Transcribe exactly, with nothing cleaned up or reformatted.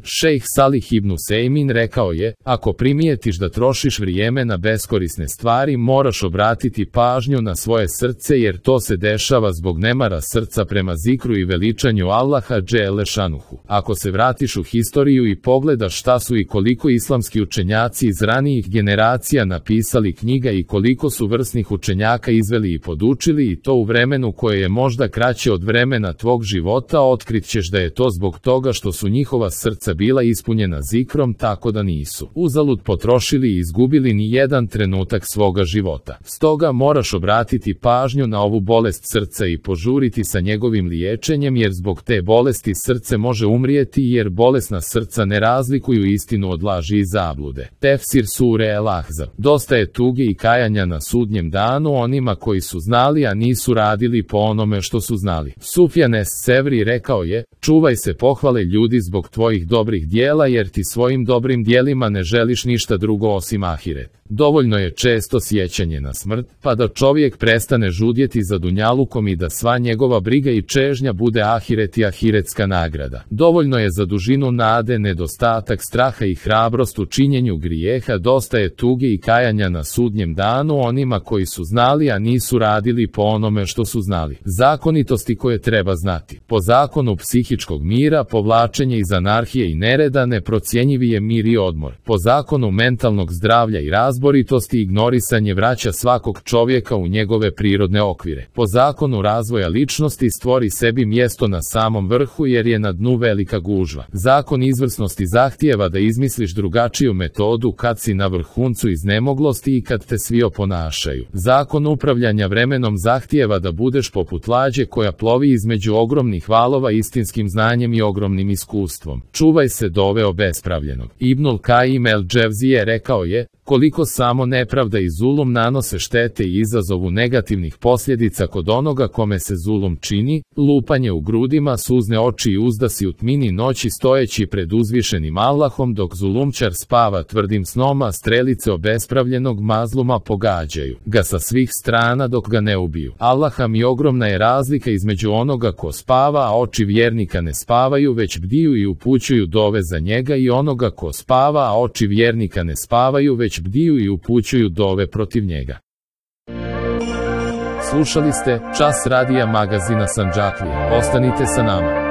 Šejh Salih ibn Usejmin rekao je, ako primijetiš da trošiš vrijeme na beskorisne stvari, moraš obratiti pažnju na svoje srce jer to se dešava zbog nemara srca prema zikru i veličanju Allaha dželle šanuhu. Ako se vratiš u historiju i pogledaš šta su i koliko islamski učenjaci iz ranijih generacija napisali knjiga i koliko su vrsnih učenjaka izveli i podučili i to u vremenu koje je možda kraće od vremena tvog života, otkrit ćeš da je to zbog toga što su njihova srca bila ispunjena zikrom, tako da nisu uzalud potrošili i izgubili ni jedan trenutak svoga života. Stoga moraš obratiti pažnju na ovu bolest srca i požuriti sa njegovim liječenjem jer zbog te bolesti srce može umrijeti jer bolesna srca ne razlikuju istinu od laži i zablude. Tefsir sure El Ahzab. Dosta je tuge i kajanja na sudnjem danu onima koji su znali a nisu radili po onome što su znali. Sufjan es-Sevri rekao je, čuvaj se pohvale ljudi zbog tvojih dobrih dijela jer ti svojim dobrim dijelima ne želiš ništa drugo osim ahiret. Dovoljno je često sjećanje na smrt, pa da čovjek prestane žudjeti za dunjalukom i da sva njegova briga i čežnja bude ahiret i ahiretska nagrada. Dovoljno je za dužinu nade, nedostatak straha i hrabrost u činjenju grijeha, dosta je tuge i kajanja na sudnjem danu onima koji su znali a nisu radili po onome što su znali. Zakonitosti koje treba znati. Po zakonu psihičkog mira, povlačenje iz anarhije i nereda, neprocjenjivi je mir i odmor. Po zakonu mentalnog zdravlja i razboritosti, ignorisanje vraća svakog čovjeka u njegove prirodne okvire. Po zakonu razvoja ličnosti, stvori sebi mjesto na samom vrhu jer je na dnu velika gužva. Zakon izvrsnosti zahtijeva da izmisliš drugačiju metodu kad si na vrhuncu iznemoglosti i kad te svi oponašaju. Zakon upravljanja vremenom zahtijeva da budeš poput lađe koja plovi između ogromnih valova istinskim znanjem i ogromnim iskustvom. Čuvaj se dove obespravljenog. Ibnul Kajim el-Dževzije rekao je, koliko samo nepravda i zulum nanose štete i izazovu negativnih posljedica kod onoga kome se zulum čini, lupanje u grudima, suzne oči i uzdasi u tmini noći stojeći pred uzvišenim Allahom dok zulumčar spava tvrdim snom, a strelice obespravljenog mazluma pogađaju ga sa svih strana dok ga ne ubiju. Allaha mi ogromna je razlika između onoga ko spava, a oči vjernika ne spavaju već bdiju i upućuju dove za njega i onoga ko spava, a oči vjernika ne spavaju već bdiju i upućuju dove protiv njega. Slušali ste Čas radija magazina Sandžaklija. Ostanite sa nama.